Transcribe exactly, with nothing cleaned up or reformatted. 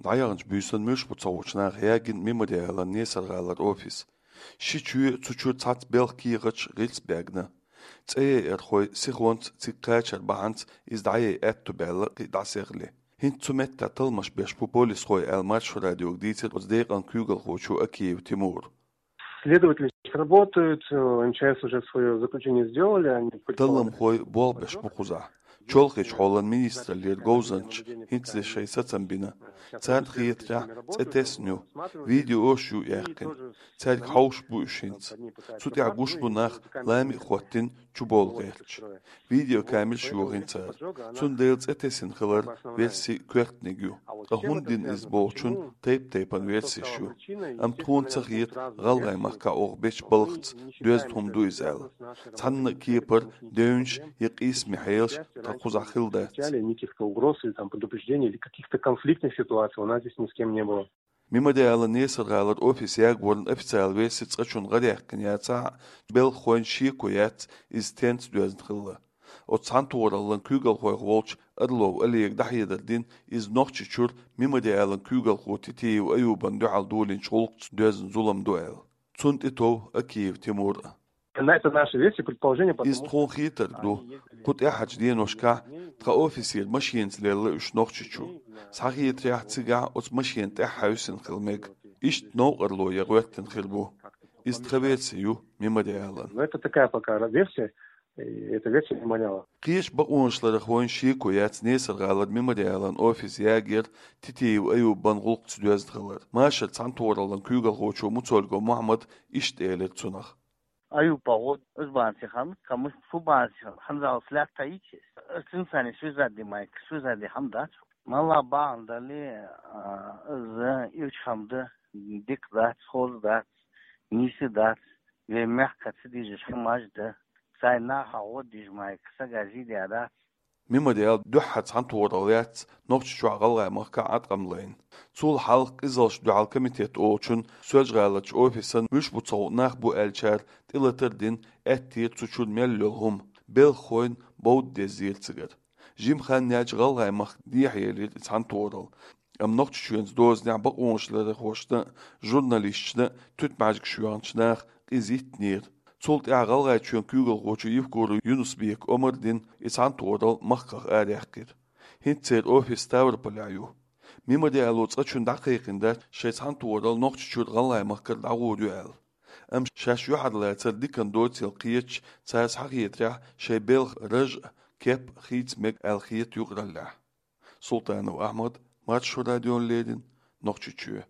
ДӀаяханчу буьйсанна муьлш бу ца гӀучу наха ягийна Мемориалан Несар-гӀалара офис. Ши чоь, цу чуьра цхьацца белхан кехаташ, гӀирс баьгна. ЦӀе яйархой сихонца цига кхачар бахьанца иза дӀаяйа аьтту баьлла кхин дӀасехли. ХӀинца цу меттехь талламаш беш бу полисхой аьлла, Маршо радиога дийцира оцу декъан куьйгалхочо Акиев Тимура. Следователи работают, э, М Ч С уже своё заключение сделали, они предполагают. Талламхой болх беш бу кхузахь. Чолхечу хьолан министраллера говзанчаша хӀинцале шайн сацам бина. Царна хетарехь, цӀе тесна ю, видеош ю яьккхина. Цаьрга хьовсуш бу уьш хӀинца. Цу тӀехь гуш бу нах, лами а хӀоттийна, чубовла гӀерташ. Видеокамераш йохийна цара. Цундела цӀе тесина хилар верси коьртаниг ю. Ткъа хӀунда дина иза бохучун тайп-тайпана версеш ю. Амма тхуна ца хета гӀалгӀайн махкахь оха бечу балхаца доьзна хӀума ду иза аьлла. Цхьанна а кепара девнаш я къийсаме хьелаш тхан кхузахь хилла дац. Никаких угроз или там предупреждений, или каких-то конфликтных ситуаций у нас здесь ни с кем не было. Мемориалан Несар-гӀалара офис ягоран официалан верси цкъачунна гӀараяьккхина яцахь а, белхахойн шеко яц, иза стенца доьзна хилла. Оцу цхьаьнатохараллан куьйгалхойх волчу Орлов Олега дӀахьедар дина, иза Нохчийчуьра Мемориалан куьйгалхо Титиев Аюбана дуьхьал долийначу гӀуллакхца доьзна зулам ду аьлла. Цунна тӀетов Акиев Тимур а. На это наши версии, предположения, потому что... Иза тхуна хетарг ду. Кху тӀаьхьарчу деношкахь тхан офисера машенаца лелла уьш Нохчийчу. Схьахетарехь, цигахь оцу машенан тӀаьхьа хьаьвсина хила мега. Иштта новкъарло ян гӀоьртина хир бу. Иза тхан верси ю Мемориалан. Но это такая пока ра-, версия, и это версия Мемориала. Кхечу бакъонашларах вайна шеко яц Несар-гӀалара Мемориалан офис ягор Титиев Аюбан гӀуллакхца доьзна хилар. Машар цхьаьнатохараллан куьйгалхочо Муцольгов Мухьаммада иштта элира цунах. Аюб-пагӀо, иза бахьана ца ханна, кхамаш шу бахьана ца ханна, хьанзалц лаьтта йича, иза цуьнца связать де майка, связать де хьама дац. Малла бахьана дале, а, иза ирча хьама да, дика дац, хоза дац, нийса дац, вайн мехкаца дижа хьамаш да, сайн нахах гӀо дижа майка, сага зийде дац. Мемориал дуьххьара цхьаьнатохаралла яц Нохчийчохь, ГӀалгӀай махкахь Ӏаткъам лайна. Цул хьалха Къизаллашна дуьхьал комитет олучун Соьлжа-ГӀаларчу офисан муьлш бу ца гӀу нах бу аьллачара тӀелатар а дина, аьттера цу чуьра мел йолу хӀума, белхахойн бовда деззера цигара. Жимма хан яьлча ГӀалгӀай махка дехьаелира и цхьаьнатохаралла. Амма Нохчийчоьнца дозанехь бакъонашларъярхошна а, журналисташна а туьтмӀаьжгаш йоьхначу наха къиза йиттинера. Цул тӀаьхьа ГӀалгӀайчоьнан куьйгалхочо Евкуров Юнус-Бека омра дина и цхьаьнатохаралла махках араяьккхира. ХӀинца церан офис Ставрополехь ю. Мемориало цкъачунна дӀакхайкхийна дац шайн цхьаьнатохаралла Нохчийчуьра ГӀалгӀай махкара дӀагӀур ю аьлла. Амма шаьш юьхьарлацар диканна доцийла кхеташ, цара схьахетарехь, шайн белхан раж а, кеп а хийца мега аьлла хета юкъараллехь. Султанов Ахьмад, Маршо радиона леррина, Нохчийчоь.